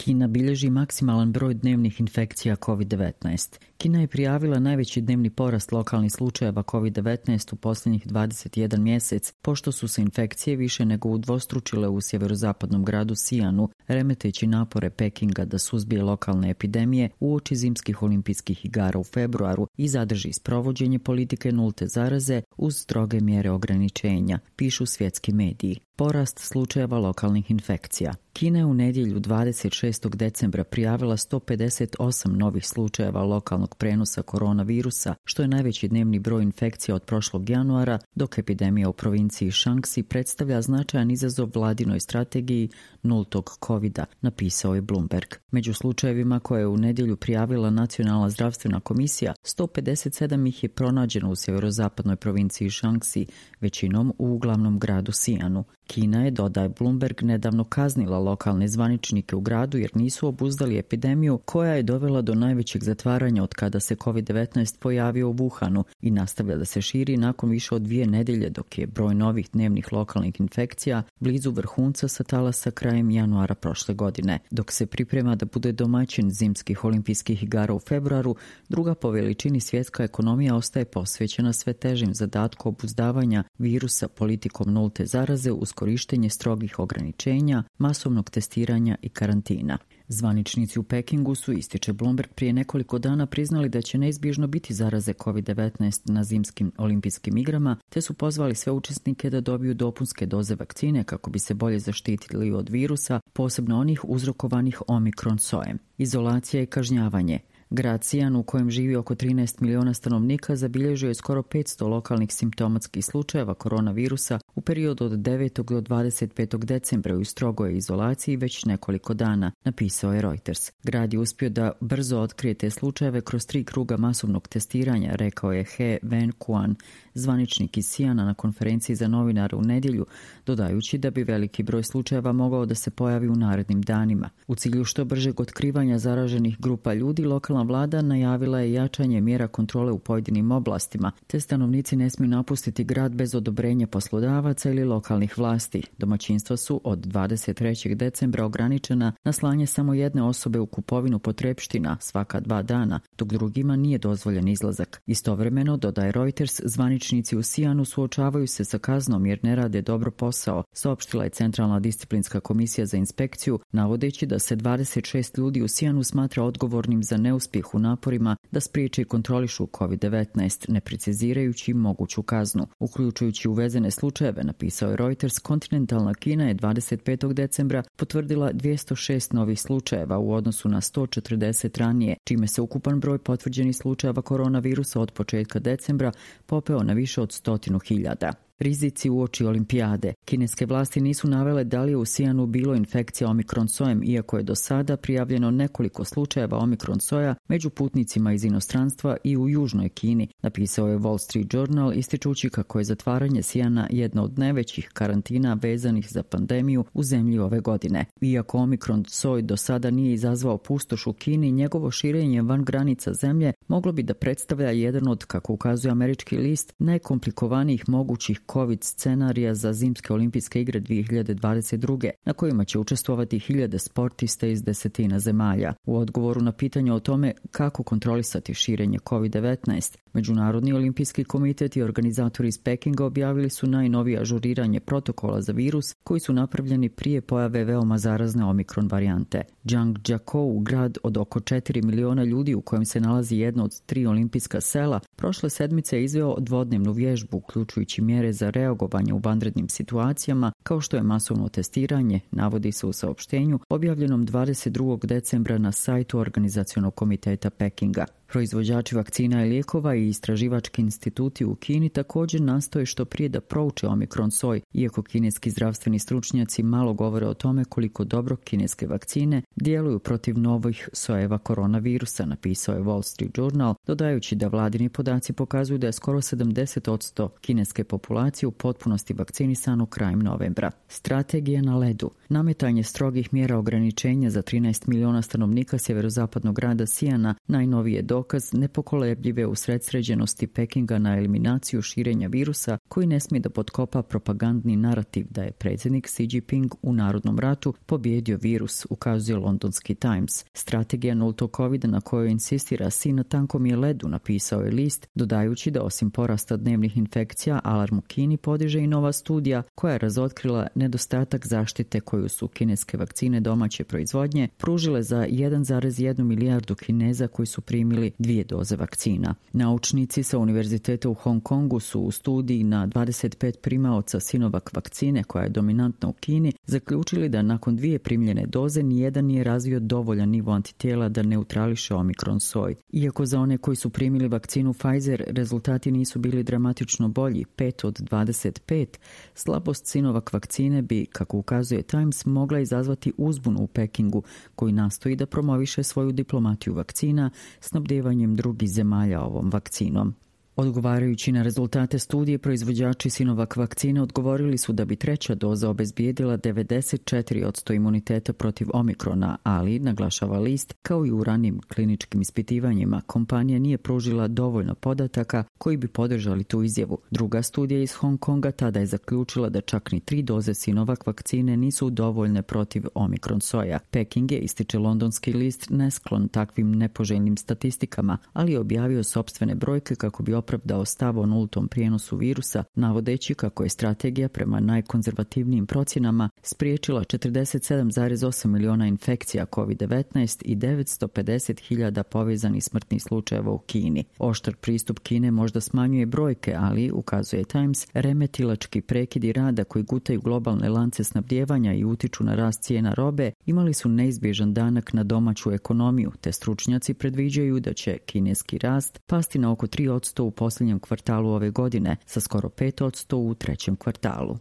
Kina bilježi maksimalan broj dnevnih infekcija COVID-19. Kina je prijavila najveći dnevni porast lokalnih slučajeva COVID-19 u posljednjih 21 mjesec, pošto su se infekcije više nego udvostručile u sjeverozapadnom gradu Xi'anu, remeteći napore Pekinga da suzbije lokalne epidemije uoči zimskih olimpijskih igara u februaru i zadrži sprovođenje politike nulte zaraze uz stroge mjere ograničenja, pišu svjetski mediji. Porast slučajeva lokalnih infekcija. Kina je u nedjelju 26. decembra prijavila 158 novih slučajeva lokalnog prenosa koronavirusa, što je najveći dnevni broj infekcija od prošlog januara, dok epidemija u provinciji Shaanxi predstavlja značajan izazov vladinoj strategiji nultog covida, napisao je Bloomberg. Među slučajevima koje je u nedjelju prijavila Nacionalna zdravstvena komisija, 157 ih je pronađeno u sjeverozapadnoj provinciji Shaanxi, većinom u uglavnom gradu Xi'anu. Kina je, dodaje Bloomberg, nedavno kaznila lokalne zvaničnike u gradu jer nisu obuzdali epidemiju koja je dovela do najvećeg zatvaranja od kada se COVID-19 pojavio u Wuhanu i nastavlja da se širi nakon više od 2 nedjelje, dok je broj novih dnevnih lokalnih infekcija blizu vrhunca sa talasa krajem januara prošle godine. Dok se priprema da bude domaćin zimskih olimpijskih igara u februaru, druga po veličini svjetska ekonomija ostaje posvećena sve težim zadatku obuzdavanja virusa politikom nulte zaraze uz korištenje strogih ograničenja, masovnog testiranja i karantina. Zvaničnici u Pekingu su, ističe Bloomberg, prije nekoliko dana priznali da će neizbježno biti zaraze COVID-19 na zimskim olimpijskim igrama, te su pozvali sve učesnike da dobiju dopunske doze vakcine kako bi se bolje zaštitili od virusa, posebno onih uzrokovanih omikron sojem. Izolacija i kažnjavanje. Grad Xi'an, u kojem živi oko 13 miliona stanovnika, zabilježio je skoro 500 lokalnih simptomatskih slučajeva koronavirusa u periodu od 9. do 25. decembra u strogoj izolaciji već nekoliko dana, napisao je Reuters. Grad je uspio da brzo otkrije te slučajeve kroz 3 kruga masovnog testiranja, rekao je He Wenquan, zvaničnik iz Xi'ana na konferenciji za novinare u nedjelju, dodajući da bi veliki broj slučajeva mogao da se pojavi u narednim danima. U cilju što bržeg otkrivanja zaraženih grupa ljudi, lokalna vlada najavila je jačanje mjera kontrole u pojedinim oblastima, te stanovnici ne smiju napustiti grad bez odobrenja poslodavaca ili lokalnih vlasti. Domaćinstva su od 23. decembra ograničena na slanje samo jedne osobe u kupovinu potrepština svaka 2 dana, dok drugima nije dozvoljen izlazak. Istovremeno, dodaje Reuters, zvaničnici u Xi'anu suočavaju se sa kaznom jer ne rade dobro posao, saopštila je Centralna disciplinska komisija za inspekciju, navodeći da se 26 ljudi u Xi'anu smatra odgovornim za neuspjeh u naporima da spriječe i kontrolišu COVID-19, ne precizirajući moguću kaznu. Uključujući uvezene slučajeve, napisao je Reuters, kontinentalna Kina je 25. decembra potvrdila 206 novih slučajeva u odnosu na 140 ranije, čime se ukupan broj potvrđenih slučajeva koronavirusa od početka decembra popeo na više od 100.000. Rizici uoči olimpijade. Kineske vlasti nisu navele da li je u Xi'anu bilo infekcija omikron sojem, iako je do sada prijavljeno nekoliko slučajeva omikron soja među putnicima iz inostranstva i u južnoj Kini, napisao je Wall Street Journal, ističući kako je zatvaranje Xi'ana jedna od najvećih karantina vezanih za pandemiju u zemlji ove godine. Iako omikron soj do sada nije izazvao pustoš u Kini, njegovo širenje van granica zemlje moglo bi da predstavlja jedan od, kako ukazuje američki list, najkomplikovanijih mogućih COVID scenarija za zimske olimpijske igre 2022. na kojima će učestvovati 1000 sportista iz 10 zemalja. U odgovoru na pitanje o tome kako kontrolisati širenje COVID-19, Međunarodni olimpijski komitet i organizatori iz Pekinga objavili su najnovije ažuriranje protokola za virus koji su napravljeni prije pojave veoma zarazne omikron varijante. Zhangjiakou, grad od oko 4 miliona ljudi u kojem se nalazi jedno od 3 olimpijska sela, prošle sedmice je izveo dvodnevnu vježbu, uključujući mjere za reagovanje u vanrednim situacijama, kao što je masovno testiranje, navodi se u saopštenju objavljenom 22. decembra na sajtu Organizacionog komiteta Pekinga. Proizvođači vakcina i lijekova i istraživački instituti u Kini također nastoje što prije da prouče omikron soj, iako kineski zdravstveni stručnjaci malo govore o tome koliko dobro kineske vakcine djeluju protiv novih sojeva koronavirusa, napisao je Wall Street Journal, dodajući da vladini podaci pokazuju da je skoro 70% kineske populacije u potpunosti vakcinisano krajem novembra. Strategija na ledu. Nametanje strogih mjera ograničenja za 13 miliona stanovnika sjeverozapadnog grada Xi'ana najnovije dokaz nepokolebljive usredsređenosti Pekinga na eliminaciju širenja virusa koji ne smije da potkopa propagandni narativ da je predsjednik Xi Jinping u narodnom ratu pobjedio virus, ukazuje londonski Times. Strategija nultog covida na kojoj insistira Xi na tankom je ledu, napisao je list, dodajući da osim porasta dnevnih infekcija, alarm u Kini podiže i nova studija koja je razotkrila nedostatak zaštite koju su kineske vakcine domaće proizvodnje pružile za 1,1 milijardu Kineza koji su primili 2 doze vakcina. Naučnici sa Univerziteta u Hong Kongu su u studiji na 25 primaoca Sinovac vakcine koja je dominantna u Kini zaključili da nakon 2 primljene doze nijedan nije razvio dovoljan nivo antitijela da neutrališe omikron soj. Iako za one koji su primili vakcinu Pfizer rezultati nisu bili dramatično bolji, 5 od 25, slabost Sinovac vakcine bi, kako ukazuje Times, mogla izazvati uzbunu u Pekingu koji nastoji da promoviše svoju diplomatiju vakcina snabdevanjem drugih zemalja ovom vakcinom. Odgovarajući na rezultate studije, proizvođači Sinovac vakcine odgovorili su da bi 3. doza obezbijedila 94% imuniteta protiv omikrona, ali, naglašava list, kao i u ranim kliničkim ispitivanjima, kompanija nije pružila dovoljno podataka koji bi podržali tu izjavu. Druga studija iz Hong Konga tada je zaključila da čak ni 3 doze Sinovac vakcine nisu dovoljne protiv omikron soja. Peking je, ističe londonski list, nesklon takvim nepoželjnim statistikama, ali je objavio sopstvene brojke kako bi opravdao stav o nultom prijenosu virusa, navodeći kako je strategija prema najkonzervativnijim procjenama spriječila 47,8 miliona infekcija COVID-19 i 950.000 povezanih smrtnih slučajeva u Kini. Oštar pristup Kine možda smanjuje brojke, ali, ukazuje Times, remetilački prekidi rada koji gutaju globalne lance snabdijevanja i utiču na rast cijena robe imali su neizbježan danak na domaću ekonomiju, te stručnjaci predviđaju da će kineski rast pasti na oko 3% u posljednjem kvartalu ove godine, sa skoro 5% u 3. kvartalu.